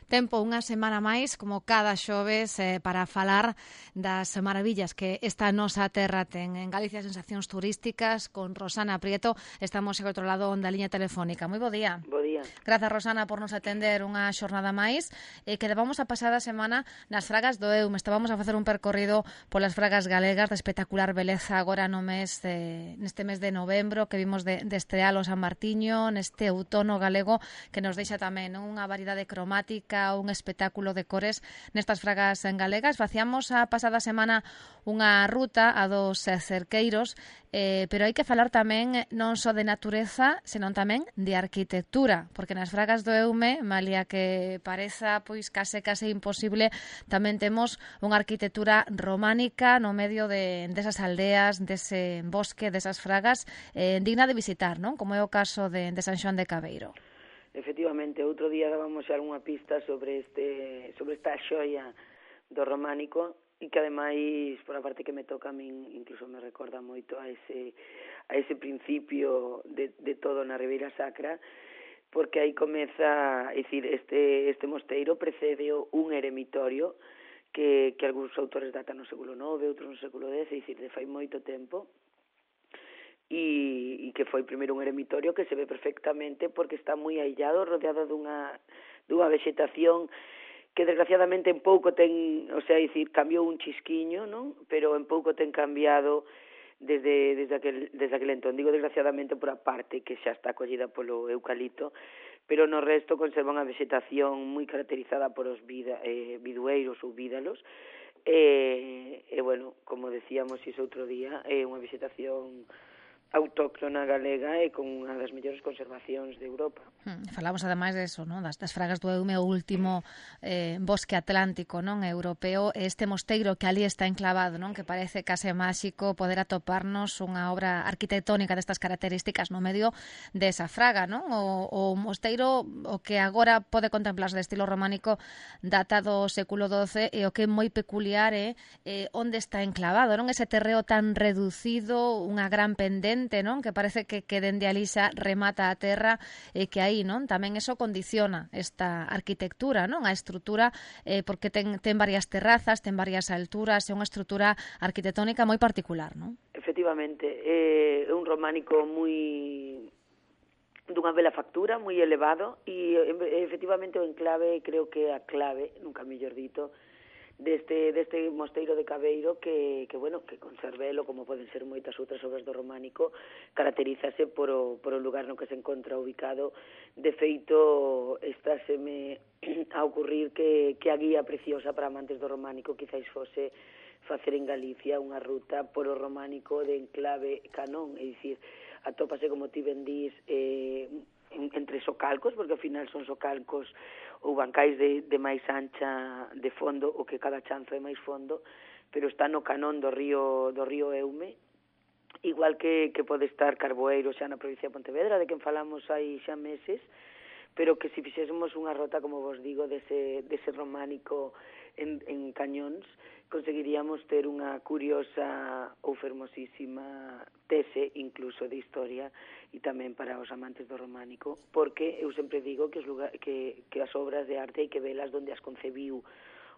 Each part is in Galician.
Tempo unha semana máis, como cada xoves, para falar das maravillas que esta nosa terra ten. En Galicia, sensacións turísticas, con Rosana Prieto. Estamos ao outro lado da liña telefónica. Moi bo día. Bo día. Grazas, Rosana, por nos atender unha xornada máis. Que levamos a pasada semana nas fragas do Eume. Estábamos a facer un percorrido polas fragas galegas de espectacular beleza agora no mes neste mes de novembro, que vimos de Estrealo San Martiño, neste outono galego que nos deixa tamén unha variedade cromática, un espectáculo de cores nestas fragas galegas. Facíamos a pasada semana unha ruta a dos cerqueiros, pero hai que falar tamén non só de natureza, senón tamén de arquitectura, porque nas fragas do Eume, malia que pareza pois case imposible, tamén temos unha arquitectura románica no medio desas aldeas, dese bosque, desas fragas, digna de visitar, non? Como é o caso de San Xoán de Cabeiro. Efectivamente, outro día dábamos xa unha pista sobre esta xoia do románico e que ademais, por a parte que me toca a min, incluso me recorda moito a ese principio de todo na Ribeira Sacra, porque aí comeza, é dicir, este mosteiro precedeu un eremitorio que algúns autores datan no século IX, outros no século X, é dicir, de fai moito tempo, e que foi primeiro un eremitorio que se ve perfectamente porque está moi aillado, rodeado dunha vexetación que desgraciadamente en pouco ten, o sea, dicir, cambiou un chisquiño, non? Pero en pouco ten cambiado desde aquel entón. Digo desgraciadamente por a parte que xa está acollida polo eucalipto, pero no resto conserva unha vexetación moi caracterizada por os bidueiros ou vídalos, e bueno, como decíamos iso outro día, é unha vexetación autóctona galega e con unha das mellores conservacións de Europa. Falamos ademais de eso, non? Das fragas do Eume, o último bosque atlántico, non, europeo, este mosteiro que ali está enclavado, non, que parece case máxico poder atoparnos unha obra arquitectónica destas características no medio desa fraga, non? O mosteiro, o que agora pode contemplarse de estilo románico, data do século XII, e o que é moi peculiar é onde está enclavado, non? Ese terreo tan reducido, unha gran pendente, non? Que parece que dende ali xa remata a terra, e que aí, non? Tamén eso condiciona esta arquitectura, non? A estrutura, porque ten varias terrazas, ten varias alturas, é unha estrutura arquitectónica moi particular, non? Efectivamente, é un románico dunha bela factura, moi elevado, e efectivamente o enclave, creo que a clave, nunca mellor dito, deste mosteiro de Cabeiro que conservelo, como poden ser moitas outras obras do románico, caracterízase por o lugar no que se encontra ubicado. De feito, estáseme a ocurrir que a guía preciosa para amantes do románico quizás fose facer en Galicia unha ruta por o románico de enclave Canón, é dicir, atópase, como ti ben dís, entre socalcos, porque ao final son socalcos ou bancais de máis ancha de fondo, o que cada chanzo é máis fondo, pero está no canón do río Eume, igual que pode estar Carboeiro xa na provincia de Pontevedra, de quen falamos hai xa meses, pero que se fixésemos unha rota, como vos digo, dese románico en cañóns, conseguiríamos ter unha curiosa ou fermosísima tese, incluso de historia, e tamén para os amantes do románico, porque eu sempre digo que as obras de arte hai que velas onde as concebiu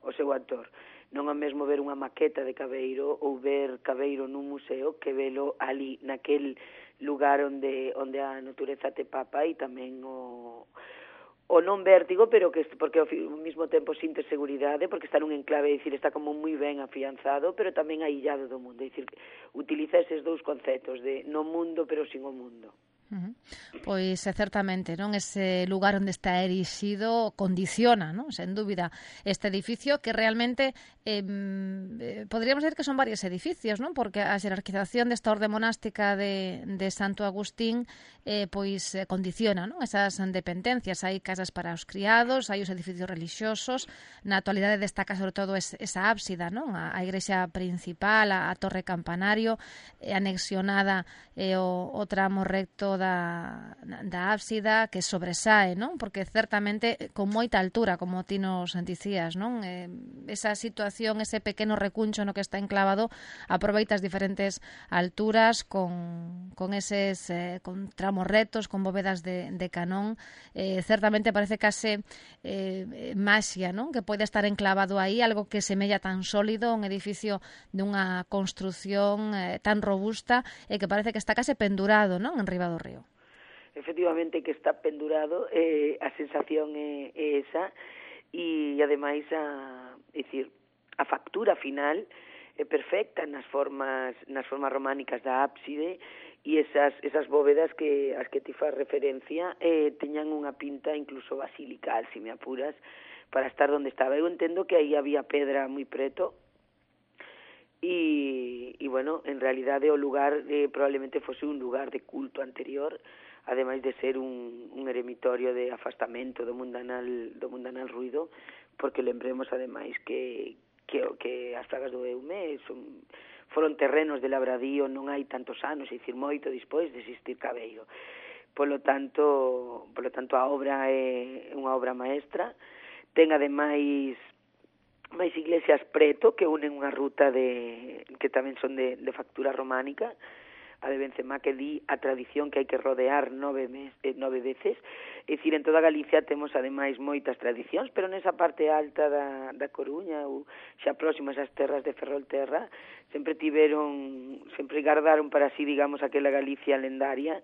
o seu autor. Non é mesmo ver unha maqueta de Cabeiro ou ver Cabeiro nun museo que velo ali, naquel lugar onde a natureza te papa, e tamén o non vértigo, pero que porque ao mesmo tempo sintes seguridade, porque está nun enclave, é dicir, está como moi ben afianzado, pero tamén aillado do mundo, é dicir, utiliza eses dous conceptos de no mundo, pero sin o mundo. Pois certamente, non, ese lugar onde está erixido condiciona, non, sen dúbida, este edificio que realmente podríamos decir que son varios edificios, non, porque a xerarquización desta orde monástica de Santo Agustín pois condiciona, non, esas dependencias. Hai casas para os criados, hai os edificios relixiosos, na actualidade destaca sobre todo esa ábsida, non, a igrexa principal, a torre campanario, anexionada o tramo recto da ábsida que sobresae, non? Porque certamente con moita altura, como ti nos dicías, non? Esa situación, ese pequeno recuncho no que está enclavado, aproveita as diferentes alturas con eses con tramos retos, con bóvedas de canón. Certamente parece case maxia, non? Que pode estar enclavado aí, algo que semella tan sólido, un edificio dunha construción tan robusta e que parece que está case pendurado, non, en riba do río. Efectivamente que está pendurado, a sensación é esa, e ademais a factura final é perfecta nas formas románicas da ábside, e esas bóvedas que as que ti faz referencia teñan unha pinta incluso basilical, se me apuras, para estar onde estaba. Eu entendo que aí había pedra moi preto, e bueno, en realidade o lugar probablemente fose un lugar de culto anterior, ademais de ser un eremitorio de afastamento do mundanal ruido, porque lembremos ademais que as Fragas do Eume foron terrenos de labradío non hai tantos anos, é dicir, moito despois de existir Cabeiro. Polo tanto a obra é unha obra maestra. Ten ademais máis iglesias preto que unen unha ruta que tamén son de factura románica, a de Benzemá, que di a tradición que hai que rodear 9 veces. É dicir, en toda Galicia temos ademais moitas tradicións, pero nesa parte alta da Coruña, ou xa próximas ás terras de Ferrolterra, sempre gardaron para si, digamos, aquela Galicia lendaria,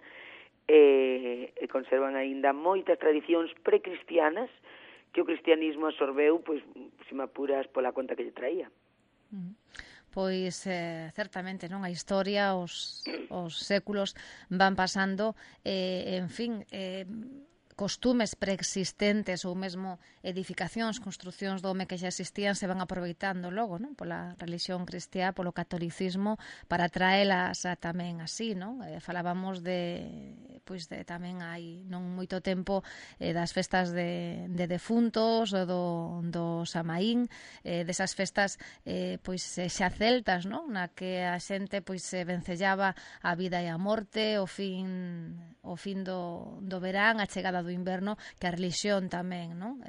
e conservan aínda moitas tradicións precristianas que o cristianismo absorbeu, pois, se me apuras, pola conta que lle traía. Pois, certamente, non? A historia, os séculos van pasando, en fin, costumes preexistentes ou mesmo edificacións, construcións do home que xa existían se van aproveitando logo, non? Pola religión cristiá, polo catolicismo, para traelas tamén así, non? Falábamos tamén hai non moito tempo das festas de defuntos, do Samaín, desas festas xa celtas, non? Na que a xente vencellaba a vida e a morte, o fin do verán, a chegada do inverno, que a religión tamén, non?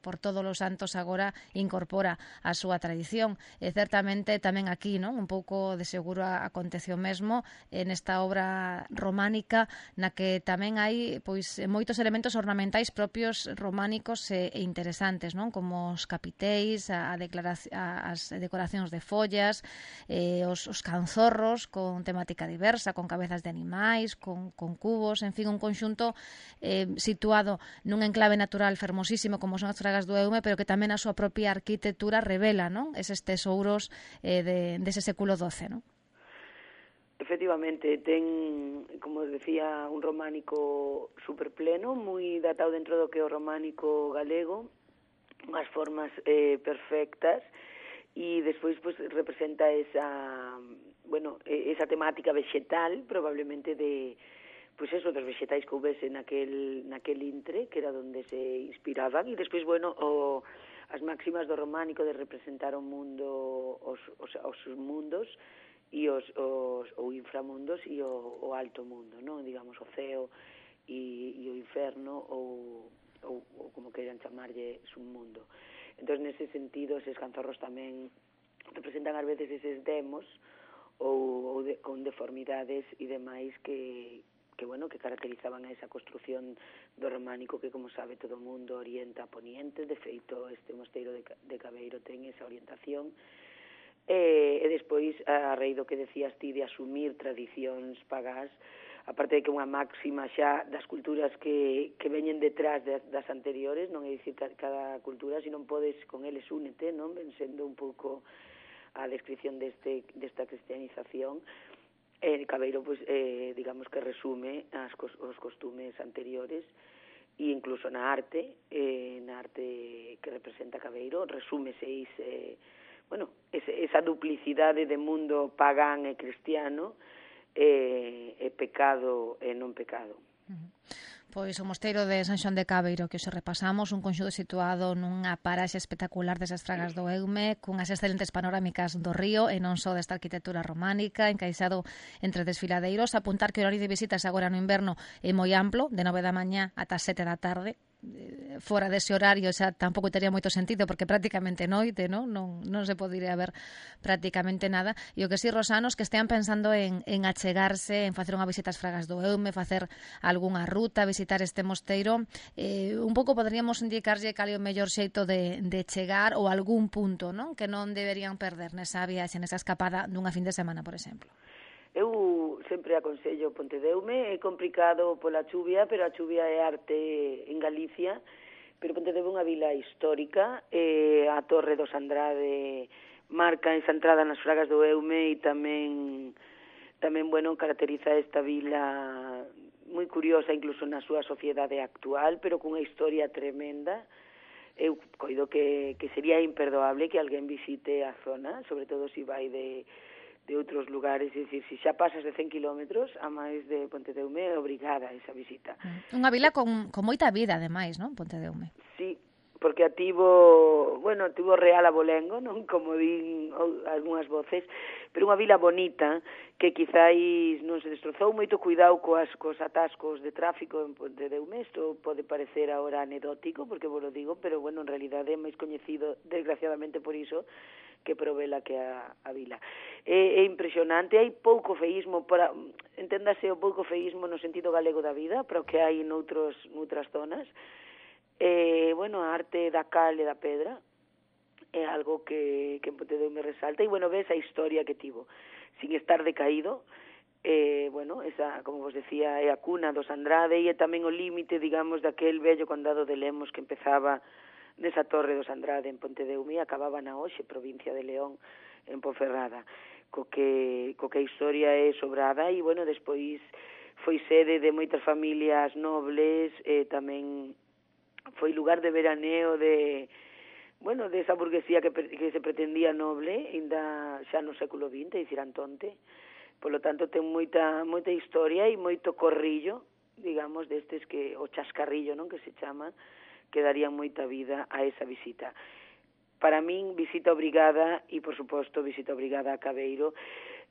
Por todos os santos agora incorpora a súa tradición. E certamente tamén aquí, non? Un pouco de seguro aconteceu mesmo nesta obra románica, na que tamén hai moitos elementos ornamentais propios románicos e interesantes, non? Como os capiteis, as decoracións de follas, os canzorros con temática diversa, con cabezas de animais, con cubos, en fin, un conxunto situado nun enclave natural fermosísimo como son as Fragas do Eume, pero que tamén a súa propia arquitectura revela, non? Eses tesouros dese século XII, non? Efectivamente, ten, como decía, un románico superpleno, moi datado dentro do que é o románico galego, unhas formas perfectas, e despois representa esa temática vegetal, probablemente dos vexetais que houvese naquel intre, que era onde se inspiraban, e despois, as máximas do románico de representar o mundo, os mundos, e o inframundos e o alto mundo, non? Digamos, o ceo e o inferno, ou como queiran chamarlle, submundo. Entón, nese sentido, eses canzorros tamén representan ás veces eses demos ou con deformidades e demais que caracterizaban a esa construción do románico que, como sabe todo o mundo, orienta a poniente. De feito, este mosteiro de Cabeiro ten esa orientación. E despois, a raíz do que decías ti de asumir tradicións pagás, aparte de que unha máxima xa das culturas que veñen detrás das anteriores, non é dicir cada cultura, se non podes con eles únete, non? Ven sendo un pouco a descripción desta cristianización. Cabeiro, digamos que resume os costumes anteriores, e incluso na arte que representa Cabeiro, resúmese esa duplicidade de mundo pagán e cristiano, pecado e non pecado. Pois o mosteiro de San Xoán de Cabeiro, que hoxe repasamos, un conxunto situado nunha paraxe espectacular desas Fragas do Eume, cunhas excelentes panorámicas do río e non só desta arquitectura románica, encaixado entre desfiladeiros. Apuntar que o horario de visitas agora no inverno é moi amplo, de 9 da mañá ata 7 da tarde. Fora dese horario xa tampouco tería moito sentido porque prácticamente noite, non se podería ver prácticamente nada. E o que si, rosanos, que estean pensando en achegarse, en facer unha visita ás Fragas do Eume, facer algunha ruta, visitar este mosteiro, un pouco poderíamos indicarlle cal é o mellor xeito de chegar ou algún punto, non, que non deberían perder nesa viaxe, nesa escapada dunha fin de semana, por exemplo. Eu sempre aconsello Pontedeume, é complicado pola chuvia, pero a chuvia é arte en Galicia, pero Pontedeume é unha vila histórica, a Torre dos Andrade marca esa entrada nas Fragas do Eume e tamén bueno, caracteriza esta vila moi curiosa incluso na súa sociedade actual, pero cunha historia tremenda. Eu coido que sería imperdoable que alguén visite a zona, sobre todo se vai de outros lugares, é dicir, se xa pasas de 100 kilómetros a máis de Pontedeume, é obrigada esa visita. Unha vila con moita vida, ademais, non, Pontedeume? Sí, porque tivo real abolengo, non, como din algunhas voces, pero unha vila bonita que quizáis non se destrozou, moito cuidado cos atascos de tráfico en Pontedeume. Isto pode parecer agora anedótico, porque vos lo digo, pero bueno, en realidade é máis coñecido desgraciadamente por iso que provela que a vila. É impresionante, hai pouco feísmo, enténdase o pouco feísmo no sentido galego da vida, pero que hai noutras zonas. Bueno, a arte da cal e da pedra é algo que en Pontedeume resalta, e bueno, ves a historia que tivo, sin estar decaído. Bueno, esa, como vos decía, é a cuna dos Andrade e é tamén o límite, digamos, daquel vello condado de Lemos que empezaba nesa Torre dos Andrade en Pontedeume e acababa na hoxe provincia de León, en Ponferrada, co que a historia é sobrada. E bueno, despois foi sede de moitas familias nobles, tamén foi lugar de veraneo de esa burguesía que se pretendía noble, ainda xa no século XX, dicir Antonte. Por lo tanto, ten moita historia e moito corrillo, digamos, destes que o chascarrillo, non, que se chama, que darían moita vida a esa visita. Para min, visita obrigada, e, por suposto, visita obrigada a Cabeiro,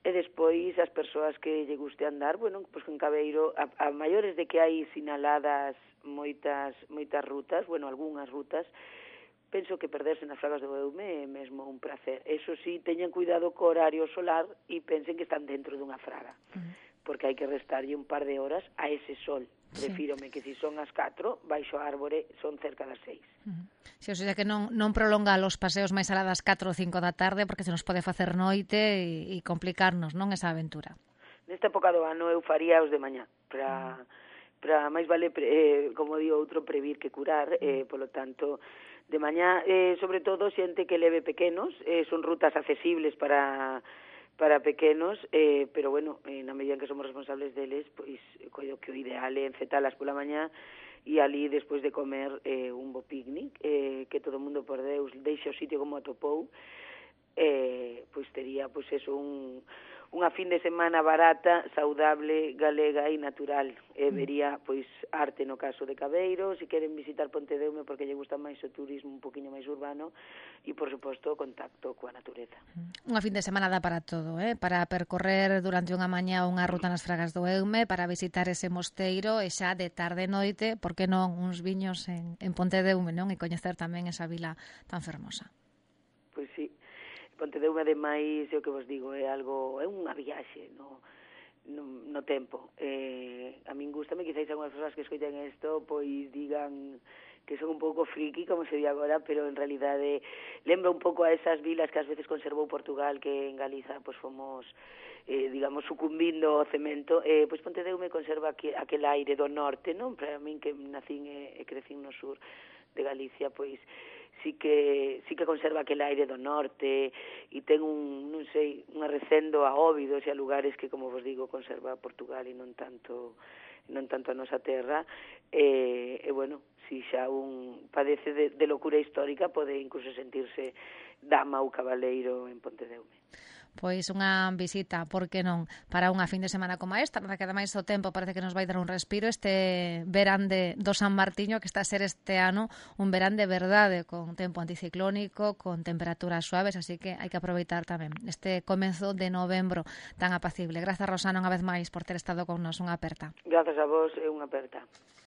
e despois as persoas que lle guste andar, bueno, pois en Cabeiro, a maiores de que hai sinaladas moitas rutas, bueno, algunhas rutas, penso que perderse nas Fragas do Eume é mesmo un placer. Eso sí, teñan cuidado co horario solar e pensen que están dentro dunha fraga, porque hai que restarlle un par de horas a ese sol. Prefírome que se son as 4, baixo a árbore son cerca das 6. Sí, o sea que non prolonga os paseos máis alá das 4 ou 5 da tarde, porque se nos pode facer noite e complicarnos, non, esa aventura. Nesta época do ano eu faría os de mañá, para máis vale, como digo outro, previr que curar, polo tanto, de mañá, sobre todo, xente que leve pequenos, son rutas accesibles para pequenos, pero bueno, na medida en que somos responsables deles, pois coido que o ideal é encetalas pola mañá e ali, despois de comer, un bo picnic, que todo o mundo, por Deus, deixe o sitio como atopou, pois tería, pois eso, unha fin de semana barata, saudable, galega e natural. Vería, pois, arte no caso de Cabeiro, se queren visitar Pontedeume porque lle gusta máis o turismo un poquinho máis urbano e, por suposto, o contacto coa natureza. Unha fin de semana dá para todo, para percorrer durante unha mañá unha ruta nas Fragas do Eume, para visitar ese mosteiro e xa de tarde e noite, por que non, uns viños en Pontedeume, non? E coñecer tamén esa vila tan fermosa. Pois sí. Pontedeume, ademais, é o que vos digo, é unha viaxe no tempo. A min gustame, quizáis algunhas persoas que escoiten isto, pois digan que son un pouco friki, como se di agora, pero en realidade lembra un pouco a esas vilas que ás veces conservou Portugal, que en Galiza pois fomos, digamos, sucumbindo ao cemento. Pois Pontedeume conserva aquel aire do norte, non? Para min, que nacín e crecín no sur de Galicia, pois sí que conserva aquel aire do norte e ten un arrecendo a Óbidos e a lugares que, como vos digo, conserva Portugal e non tanto a nosa terra. Bueno, si xa un padece de locura histórica, pode incluso sentirse dama ou cabaleiro en Pontedeume. pois unha visita, por que non, para unha fin de semana como esta, nada que ademais o tempo parece que nos vai dar un respiro este verán do San Martiño, que está a ser este ano un verán de verdade, con tempo anticiclónico, con temperaturas suaves, así que hai que aproveitar tamén este comezo de novembro tan apacible. Grazas, Rosana, unha vez máis por ter estado con nos, unha aperta. Grazas a vos e unha aperta.